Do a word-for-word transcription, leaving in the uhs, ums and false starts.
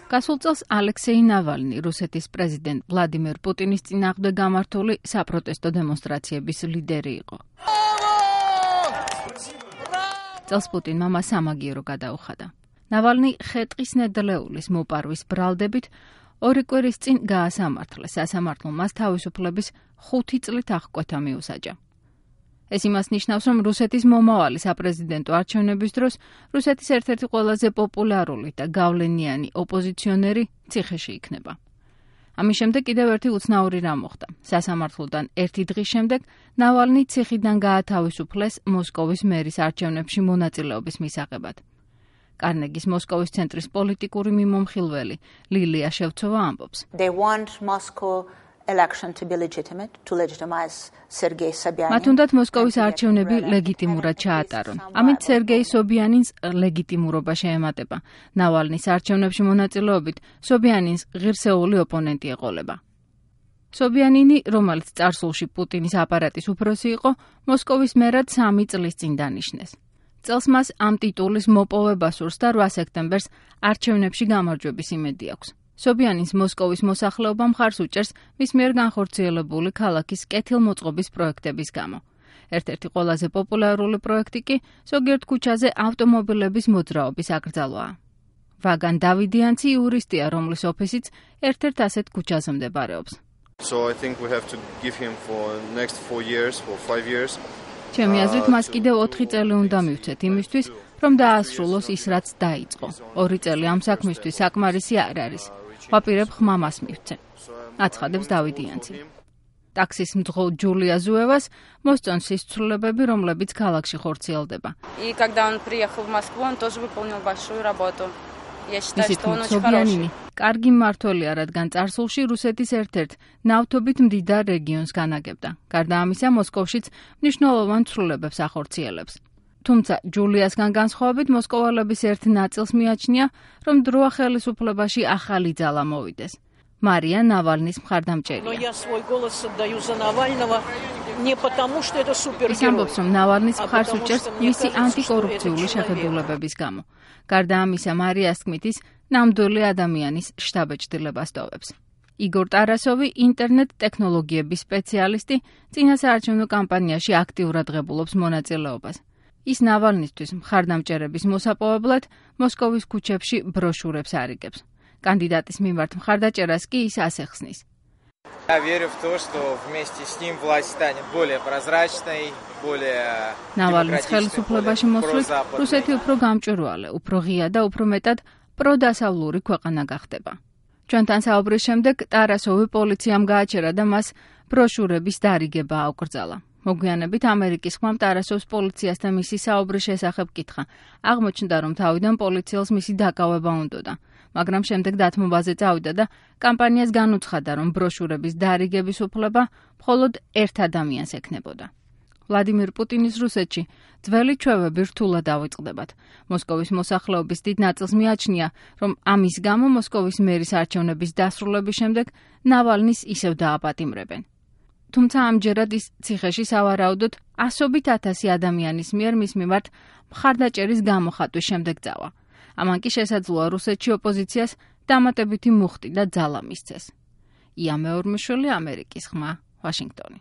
გასულ წელს ალექსეი ნავალნი რუსეთის პრეზიდენტ ვლადიმერ პუტინის წინააღმდეგ გამართული საპროტესტო დემონსტრაციების ლიდერი იყო. წელს პუტინმა მას სამაგიერო გადაუხადა. ნავალნი ხეტყის ნედლეულის მოპარვის ბრალდებით ორი კვირის წინ გაასამართლეს სასამართლომ მას თავისუფლების ხუთი წლით აღკვეთა მიუსაჯა. ეს იმას ნიშნავს, რომ რუსეთის მომავალი საპრეზიდენტო არჩევნების დროს რუსეთის ერთ-ერთი ყველაზე პოპულარული და გავლენიანი ოპოზიციონერი ციხეში იქნება. ამის შემდეგ კიდევ ერთი უცნაური რამ მოხდა. სასამართლოდან ერთი დღის შემდეგ ნავალნი ციხიდან გაათავისუფლეს მოსკოვის მერის არჩევნებში მონაწილეობის მისაღებად. კარნეგის მოსკოვის ცენტრის პოლიტიკური მიმომხილველი ლილია შევცოვა ამბობს. They want Moscow election to be legitimate, to legitimize Sergei Sobyanin. მათ უნდათ მოსკოვის არჩევნები ლეგიტიმურად ჩაატარონ. ამით სერგეი სობიანინს ლეგიტიმურობა შეემატება. ნავალნის არჩევნებში მონაწილეობით სობიანინს ღირსეული ოპონენტი ეყოლება. სობიანინი, რომელიც წარსულში პუტინის აპარატის უფროსი იყო, მოსკოვის მერად სამი წლის წინ დანიშნეს. წელს მას ამ ტიტულის მოპოვება სურს და რვა სექტემბერს არჩევნებში გამარჯვების იმედი აქვს. სობიანინს მოსკოვის მოსახლეობა მხარს უჭერს მის მიერ განხორციელებული ქალაქის კეთილმოწყობის პროექტების გამო. ერთ-ერთი ყველაზე პოპულარული პროექტი კი ზოგიერთ ქუჩაზე ავტომობილების მოძრაობის აკრძალვაა. ვაგან დავიდიანცი იურისტია, რომლის ოფისიც ერთ-ერთ ასეთ ქუჩაზე მდებარეობს. So I think we have to give him for next four years, for five years. ჩემი აზრით მას კიდევ ოთხი წელი უნდა მივცეთ იმისთვის, რომ დაასრულოს ის, რაც დაიწყო. ორი წელი ამ საქმისთვის საკმარისი არ არის. ვაპირებ ხმამას მივცე. აცხადებს დავიდიანცი. ტაქსის მძღოლ ჯულია ზუევას მოსწონს ის ცვლილებები, რომლებიც ქალაქში ხორციელდება. И когда он приехал в Москву, он тоже выполнил большую работу. Я считаю, что он очень хороший. хороший. კარგი მმართველია, რადგან წარსულში რუსეთის ერთ-ერთ ნავთობით მდიდარ რეგიონს განაგებდა. გარდა ამისა, მოსკოვშიც მნიშვნელოვან ცვლილებებს ახორციელებს. თუმცა ჯულიასგან განსხვავებით მოსკოვალების ერთ ნაწილს მიაჩნია, რომ დროა ხელისუფლებაში ახალი ძალა მოვიდეს. მარია ნავალნის მხარდამჭერია. ის ამბობს, რომ ნავალნის მხარს უჭერს მისი ანტიკორუფციული შეხედულებების გამო. გარდა ამისა, მარიას თქმით, ის ნამდვილი ადამიანის შთაბეჭდილებას ტოვებს. იგორ ტარასოვი, ინტერნეტ ტექნოლოგიების სპეციალისტი, წინასაარჩევნო კამპანიაში აქტიურად ღებულობს მონაწილეობას. ის ნავალნისთვის მხარდამჭერების მოსაპოვებლად მოსკოვის ქუჩებში ბროშურებს არიგებს. კანდიდატის მიმართ მხარდაჭერას კი ის ასე ხსნის. Я верю в то, что вместе с ним власть станет более прозрачной, более ნავალნის ხელისუფლებაში მოსვლით რუსეთი უფრო გამჭვირვალე, უფრო ღია და უფრო მეტად პროდასავლური ქვეყანა გახდება. ჩვენთან საუბრის შემდეგ ტარასოვი პოლიციამ გააჩერა და მას ბროშურების დარიგება აუკრძალა. მოგვიანებით ამერიკის ხმამ ტარასოვს პოლიციასთან მისი საუბრის შესახებ კითხა. აღმოჩნდა, რომ თავიდან პოლიციელს მისი დაკავება უნდოდა, მაგრამ შემდეგ დათმობაზე წავიდა და კამპანიას განუცხადა, რომ ბროშურების დარიგების უფლება მხოლოდ ერთ ადამიანს ექნებოდა. ვლადიმერ პუტინის რუსეთში ძველი ჩვევები რთულად დავიწყდებათ. მოსკოვის მოსახლეობის დიდ ნაწილს მიაჩნია, რომ ამის გამო მოსკოვის მერის არჩევნების დასრულების შემდეგ ნავალნის ისევ დააპატიმრებენ. თუმცა ამჯერად ის ციხეში სავარაუდოდ ასობით ათასი ადამიანის მიერ მის მიმართ მხარდაჭერის გამოხატვის შემდეგ წავა. ამან კი შესაძლოა რუსეთში ოპოზიციას დამატებითი მუხტი და ძალა მისცეს. ია მეორმიშვილი, ამერიკის ხმა, ვაშინგტონი.